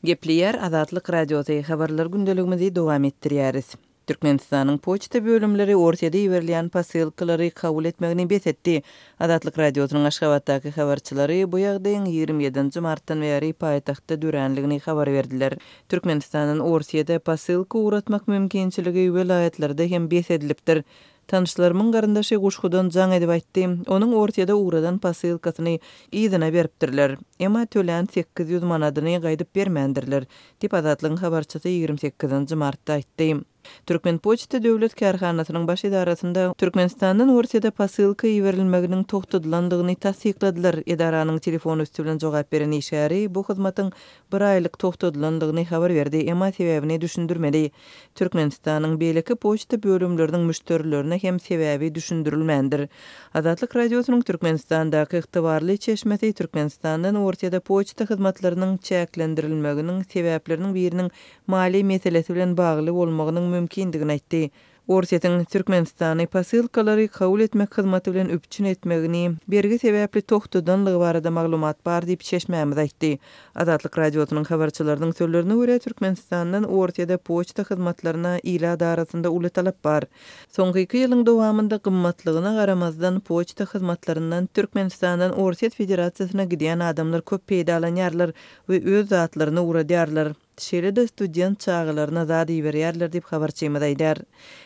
Gepleýär Azatlyk Radiosy, Habarlar gündeligimizi dowam etdirýäris. Türkmenistanyň poçta bölümleri Orsýede iberilýän posylkalary kabul etmegini bes etdi. Azatlyk Radiosynyň Aşgabatdaky habarçylary bu ýagdaýyň 27 nji martdan bäri paýtagtda döränligini habar berdiler. Türkmenistandan Orsýede posylka ugratmak mümkinçiligi welaýatlarda hem bes edilipdir. Tanyşlarymyň garyndaşy Guşgudan jaň edip aýtdy. Onuň Orsýede ugradan posylkasyny yzyna beripdirler. Emma tölän 800 manadyny gaýdyp bermändirler, diýip, Azatlygyň habarçysy 28 nji martda aýtdy. Türkmenpoçta döwlet kärhanasynyň baş edarasynda Türkmenistandan Orsýede posylka iberilmeginiň togtadylandygyny tassykladylar. Edaranyň telefon üsti bilen jogap beren işgäri bu hyzmatyň bir aýlyk togtadylandygyny habar berdi, emma sebäbini düşündirmedi. Türkmenistanyň beýleki poçta bölümleriniň müşderilerine hem sebäbi düşündirilmändir. Azatlyk Radiosynyň Türkmenistandaky ygtybarly çeşmesi Türkmenistandan Orsýede poçta hyzmatlarynyň çäklendirilmeginiň sebäpleriniň biriniň maliýe meselesi bilen bagly bolmagynyň mümkindigini aýtdy. Orsýetiň Türkmenistany posylkalary kabul etmek hyzmaty bilen üpjün etmegini bergi sebäpli togtadanlygy barada maglumat bar diýip, çeşmämiz aýtdy. Azatlyk Radiosynyň habarçylarynyň sözlerine görä, Türkmenistandan Orsýede poçta hyzmatlaryna ilat arasynda uly talap bar. Soňky iki ýylyň dowamynda gymmatlygyna garamazdan, poçta hyzmatlaryndan Türkmenistandan Orsýet Federasiýasyna gidýän adamlar köp peýdalanýarlar we öz zatlaryny ugradýarlar. Şeýle-de student çagalaryna zat iberýärler diýip, habarçymyz aýdýar.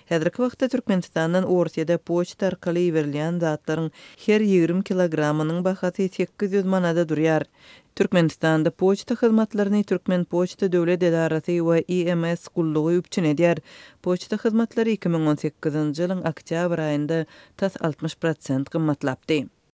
Häzirki wagtda Türkmenistandan Orsýede poçta arkaly iberilýän zatlaryň her 20 kilogramynyň bahasy 800 manada durýar. Türkmenistanda poçta hyzmatlaryny Türkmenpoçta döwlet edarasy we IMS gullugy üpjün edýär. Poçta hyzmatlary 2018-nji ýylyň oktýabr aýynda tas 60 prosent gymmatlapdy.